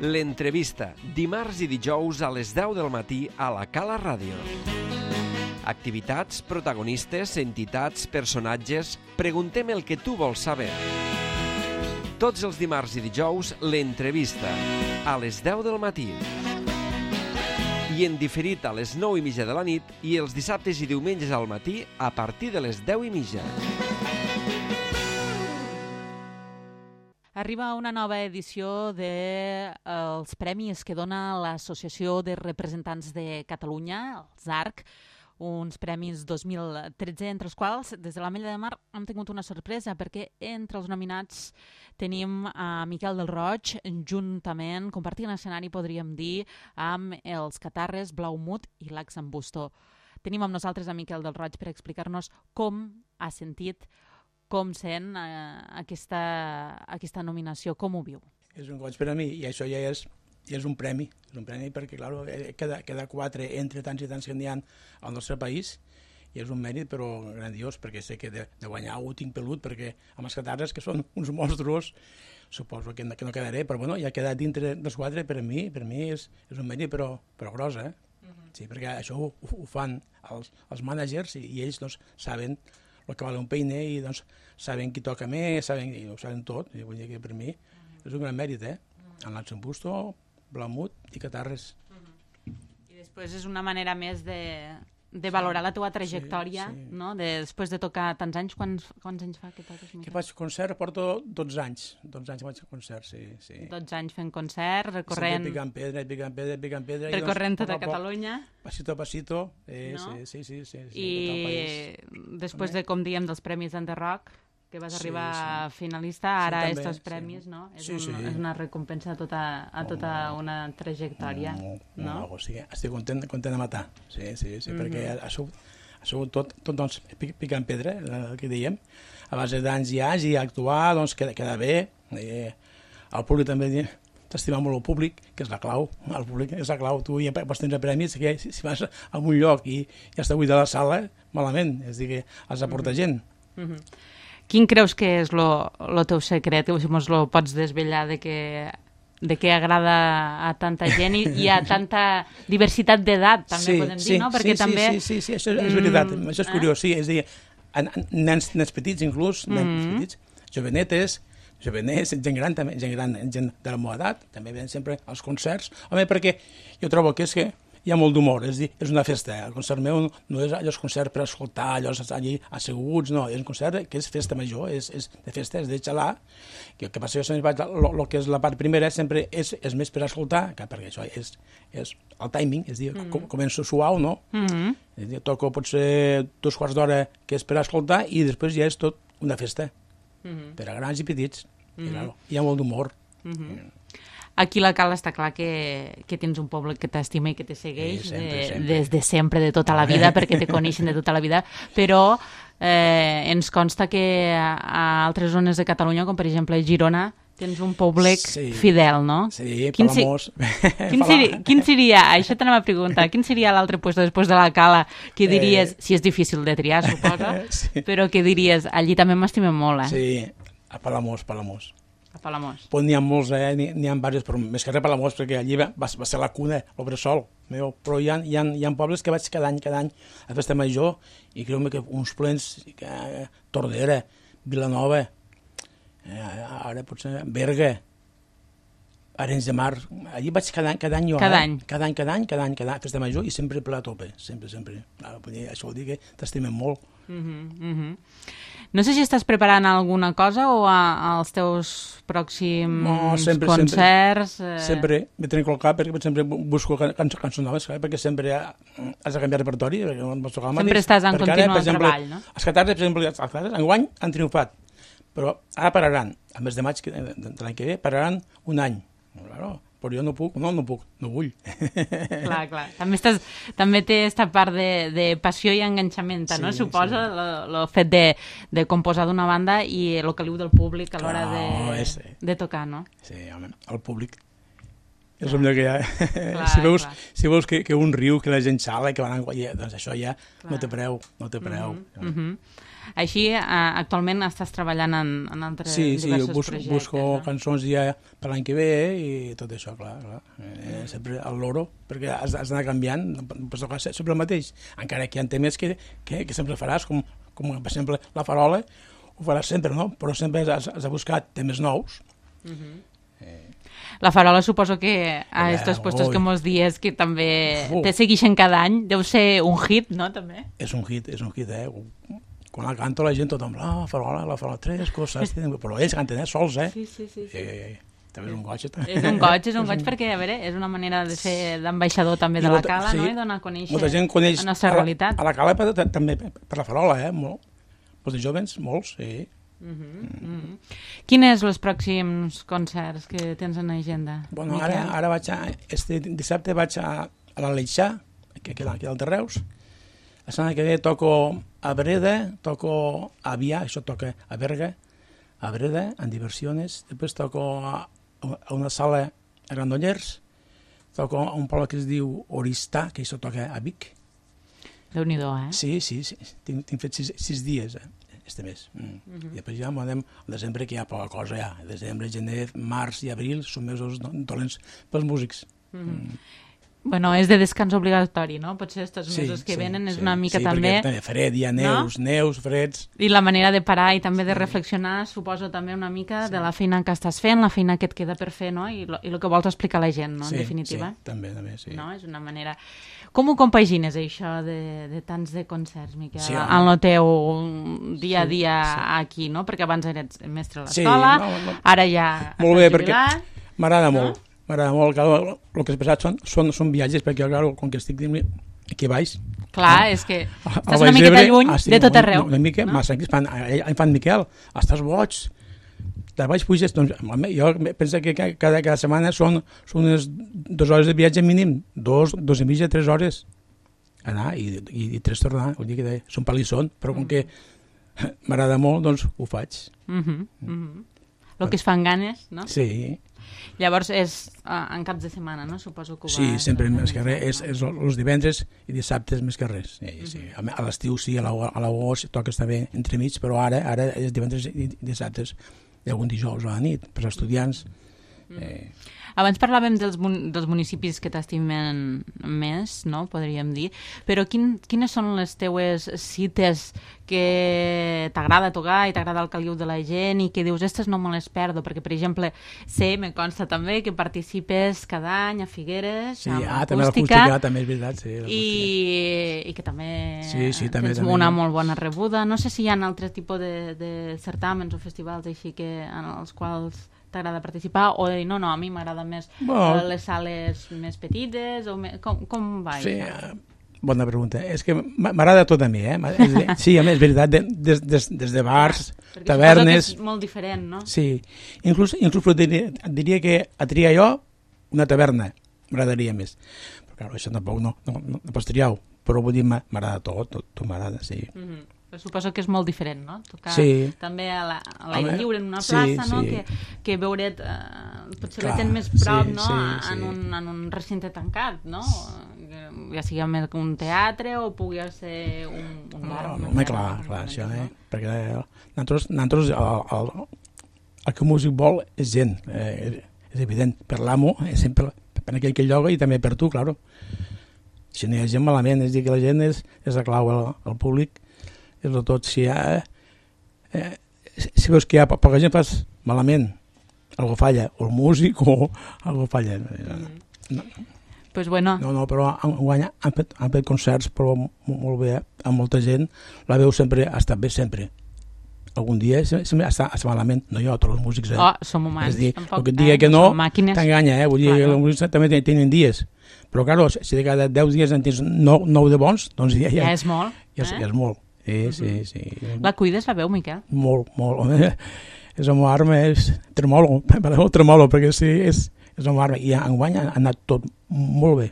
L'entrevista, dimarts i dijous a les 10 del matí a la Cala Ràdio. Activitats, protagonistes, entitats, personatges... Preguntem el que tu vols saber. Tots els dimarts i dijous, l'entrevista, a les 10 del matí. I en diferit a les 9:30 de la nit i els dissabtes i diumenges al matí a partir de les 10:30. Arriba una nova edició dels premis que dona l'Associació de Representants de Catalunya, els ARC, uns premis 2013, entre els quals, des de l'Ametlla de Mar, hem tingut una sorpresa, perquè entre els nominats tenim a Miquel del Roig, juntament, compartint escenari, podríem dir, amb els Catarres, Blaumut i Lacs en Busto. Tenim amb nosaltres a Miquel del Roig per explicar-nos com ha sentit, com sent aquesta nominació, com ho viu. És un goig per a mi i això ja és un premi perquè, clar, cada 4 entre tants i tants que n'hi ha al nostre país i és un mèrit però grandiós, perquè sé que de guanyar ho tinc pelut, perquè amb els Catarres, que són uns monstruos, suposo que no quedaré, però bueno, ja ha quedat dintre dels 4, per mi és un mèrit però gros, eh? Sí, perquè això ho fan els mànagers i ells doncs, saben el que val un peine i doncs, saben qui toca més, ho saben tot, i vull dir que per mi és un gran mèrit, en Lacs en Busto, Blaumut i Catarres. I després és una manera més de valorar la teva trajectòria, no? Després de tocar tants anys, quants anys fa que toques? Que faig concert, porto 12 anys. 12 anys faig concert, sí. 12 anys fent concert, recorrent... Picant pedra. Recorrent tota Catalunya. Pasito a pasito, sí. I després de, com diem, dels Premis Enderrock, que vas arribar finalista, ara estos premis, no? És una recompensa a tota una trajectòria, no? Sí, estic content de matar, sí, perquè ha sigut tot doncs, picant pedra, el que dèiem, a base d'anys i anys, i actuar, doncs, queda bé, el públic també t'estima molt el públic, que és la clau, el públic és la clau, tu ja pots tenir premis, que si vas a un lloc i ja està buida la sala, malament, és a dir, que has de portar gent. Quin creus que és el teu secret? Si mos lo pots desvetllar de què agrada a tanta gent i a tanta diversitat d'edat, també podem dir, no? Perquè també... Sí, això és veritat, això és curiós, sí, és a dir, nens petits inclús, nens petits, jovenets, gent gran també, gent de la meva edat, també venen sempre als concerts, home, perquè jo trobo que és que hi ha molt d'humor, és una festa. El concert meu no és allò concert per escoltar, allò allí asseguts, no, és un concert que és festa major, és de festa, és de xalar, que el que passa que el que és la part primera sempre és més per escoltar, perquè això és el timing, és a dir, començo suau, no? És a dir, toco potser 2 quarts d'hora que és per escoltar i després ja és tot una festa, per a grans i petits, i hi ha molt d'humor. Aquí a la Cala està clar que tens un poble que t'estima i que te segueix des de sempre, de tota la vida, perquè te coneixen de tota la vida, però ens consta que a altres zones de Catalunya, com per exemple Girona, tens un públic fidel, no? Sí, Palamós. Quin seria, això t'anem a preguntar, quin seria l'altre lloc després de la Cala que diries, si és difícil de triar, suposa, però que diries, allí també m'estimem molt, Sí, a Palamós. A Palamós. Pues n'hi ha molts, n'hi ha diversos, però més que res a Palamós, perquè allí va ser la cuna, el bressol meu. Però hi ha pobles que vaig cada any a Festa Major i creu-me que uns plens, Tordera, Vilanova, ara potser Berga, Arenys de Mar, allí vaig cada any jo. Cada any, Festa Major i sempre ple a tope, sempre. Això vol dir que t'estimem molt. No sé si estàs preparant alguna cosa o als teus pròxims concerts... Sempre m'he tenit al cap, perquè sempre busco cançons noves, perquè sempre has de canviar repertori. Sempre estàs en continu treball, no? Els Catarres, per exemple, enguany han triomfat, però ara pararan, al mes de maig de l'any que ve, pararan un any. Però jo no puc, no vull. Clar. També té aquesta part de passió i enganxament, no? Suposa el fet de composar d'una banda i el caliu del públic a l'hora de tocar, no? Sí, home, el públic és el millor que hi ha. Si veus que un riu, que la gent xala, que van a... doncs això ja no té preu. Així, actualment estàs treballant en altres diversos projectes. Sí, busco cançons ja per l'any que ve i tot això, clar. Sempre al loro, perquè has d'anar canviant, no pots tocar sempre el mateix, encara que hi ha temes que sempre faràs, com per exemple La Farola, ho faràs sempre, no? Però sempre has de buscar temes nous. La Farola suposo que a estos puestos que mos dies que també te seguixen cada any, deu ser un hit, no, també? És un hit, Quan la canto la gent tothom, la Farola, tres coses, però ells canten sols, Sí. També és un goig. És un goig perquè, a veure, és una manera de ser d'ambaixador també de la Cala, no? I donar a conèixer la nostra realitat. A la Cala també per la Farola, molt. Els de joves, molts, sí. Quins són els pròxims concerts que tens en agenda? Bueno, ara vaig este dissabte vaig a l'Aleixar, que queda al de Reus. La setmana que ve toco a Breda, toco a Avià, això toca a Berga, a Breda, en Diversiones. Després toco a una sala a Granollers, toco a un poble que es diu Oristà, que això toca a Vic. Déu-n'hi-do, Sí. Tinc fet 6 dies, este mes. I després ja anem al desembre, que hi ha poca cosa ja. Desembre, gener, març i abril són mesos dolents pels músics. Bueno, és de descans obligatori, no? Potser estos mesos que venen és una mica també... Sí, perquè fred, hi ha neus, freds... I la manera de parar i també de reflexionar, suposo també una mica de la feina que estàs fent, la feina que et queda per fer, no? I el que vols explicar a la gent, no? En definitiva. Sí, també, sí. No? És una manera... Com ho compagines, això, de tants de concerts, Miquel, en el teu dia a dia aquí, no? Perquè abans eres mestre a l'escola, ara ja molt bé, perquè m'agrada molt. M'agrada molt, el que has passat són viatges, perquè com que estic aquí baix... Clar, és que estàs una miqueta lluny de tot arreu. Una mica, massa, em fan Miquel, estàs boig, de baix puges, doncs jo penso que cada setmana són unes 2 hores de viatge mínim, 2 i mitja, 3 hores anar i 3 tornar, vull dir que són palissons, però com que m'agrada molt, doncs ho faig. El que es fan ganes, no? Sí. Llavors és en caps de setmana, no? Suposo que ho Sí, sempre més que res, és els divendres i dissabtes més que res. Sí. A l'estiu sí, a l'agost toca estar bé entremig, però ara és divendres i dissabtes i algun dijous a la nit, per als estudiants. Abans parlàvem dels municipis que t'estimen més, no? Podríem dir, però quines són les teues cites que t'agrada tocar i t'agrada el caliu de la gent i que dius, aquestes no me les perdo, perquè, per exemple, me consta també que participes cada any a Figueres, amb acústica. També l'acústica, també és veritat, sí. I que també tens una molt bona rebuda. No sé si hi ha altres tipus de certàmens o festivals així en els quals t'agrada participar, o de dir, no, a mi m'agrada més les sales més petites, o com va això? Sí, bona pregunta. És que m'agrada tot a mi, Sí, a més, és veritat, des de bars, tavernes... Perquè és molt diferent, no? Sí, inclús diria que a triar jo una taverna m'agradaria més. Però, clar, això tampoc no pots triar-ho, però vull dir, m'agrada tot m'agrada, sí. Suposo que és molt diferent, no? Tocar també a l'aire lliure en una plaça, no? Que veure't potser la tens més prop, no? En un recinte tancat, no? Ja sigui més un teatre o pugui ser un bar. Clar, això, perquè nosaltres el que el músic vol és gent, és evident, per l'amo, sempre per aquell que lloga i també per tu, clar. Si no hi ha gent malament, és dir que la gent és la clau, el públic és de tot. Si veus que hi ha poca gent, fas malament, algo falla, o el músic o algo falla. Pues bueno. No, però han fet concerts, però molt bé, amb molta gent, la veu sempre ha estat bé, sempre. Algun dia sempre està malament, no jo, tots els músics. Som humans. És dir, el que et digui que no, t'enganya, vull dir, els músics també tenen dies. Però, clar, si de cada 10 dies en tens 9 de bons, doncs ja és molt. Ja és molt. Sí. La cuides, la veu, Miquel? Molt. És la meva arma, és tremolo, perquè sí, és la meva arma. I enguany ha anat tot molt bé.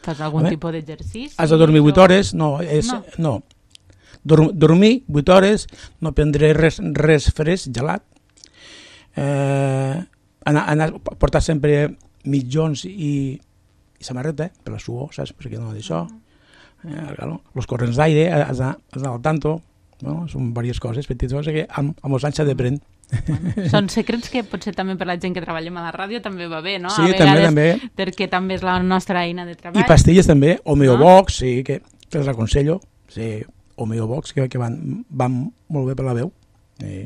Fas algun tipus d'exercici? Has de dormir 8 hores? No. Dormir 8 hores, no prendré res fresc, gelat. Portar sempre mitjons i samarreta, per la suor, saps? Perquè no d'això. Els corrents d'aire, has d'anar al tanto, No? Són diverses coses petites que amb els anys s'ha d'aprendre. Bueno, són secrets que potser també per la gent que treballem a la ràdio també va bé, no? Sí, a vegades, també. Perquè també és la nostra eina de treball. I pastilles també, Homeobox, sí, que les aconsello, sí, Homeobox, que van molt bé per la veu. Sí.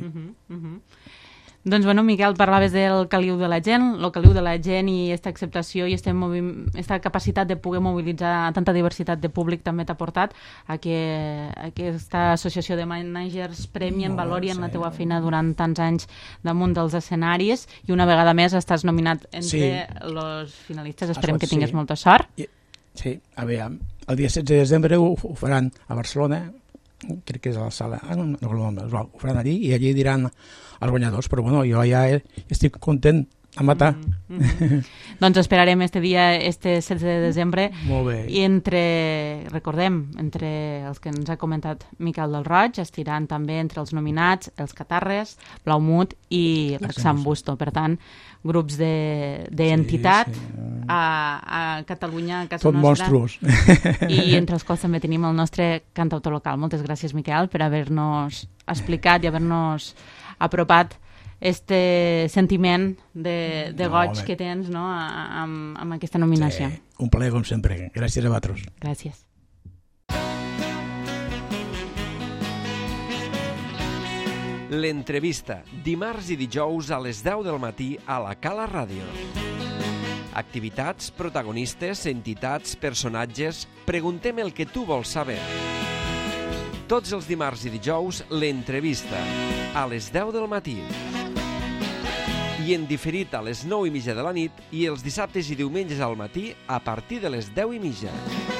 Doncs, bueno, Miquel, parlaves del caliu de la gent, el caliu de la gent i aquesta acceptació i aquesta capacitat de poder mobilitzar tanta diversitat de públic també t'ha portat a que aquesta associació de managers premien, valorien la teua feina durant tants anys damunt dels escenaris i una vegada més estàs nominat entre els finalistes. Esperem que tinguis molta sort. Sí, a veure, el dia 16 de desembre ho faran a Barcelona, crec que és a la sala, ho faran allí i allí diran els guanyadors, però bueno, jo ja estic content a matar. Doncs esperarem este dia, este 16 de desembre. Molt bé. I recordem, entre els que ens ha comentat Miquel del Roig, estiran també entre els nominats els Catarres, Blaumut i l'Axam Busto. Per tant, grups d'entitat a Catalunya, a casa nostra. Tot monstruos. I entre els quals també tenim el nostre cantautor local. Moltes gràcies, Miquel, per haver-nos explicat i haver-nos apropat este sentiment de goig que tens, no, amb aquesta nominació. Sí, un plaer com sempre. Gràcies a vosaltres. Gràcies. L'entrevista, dimarts i dijous a les 10 del matí a la Cala Ràdio. Activitats, protagonistes, entitats, personatges... Preguntem el que tu vols saber. Tots els dimarts i dijous, l'entrevista, a les 10 del matí. I en diferit a les 9:30 de la nit i els dissabtes i diumenges al matí a partir de les 10:30.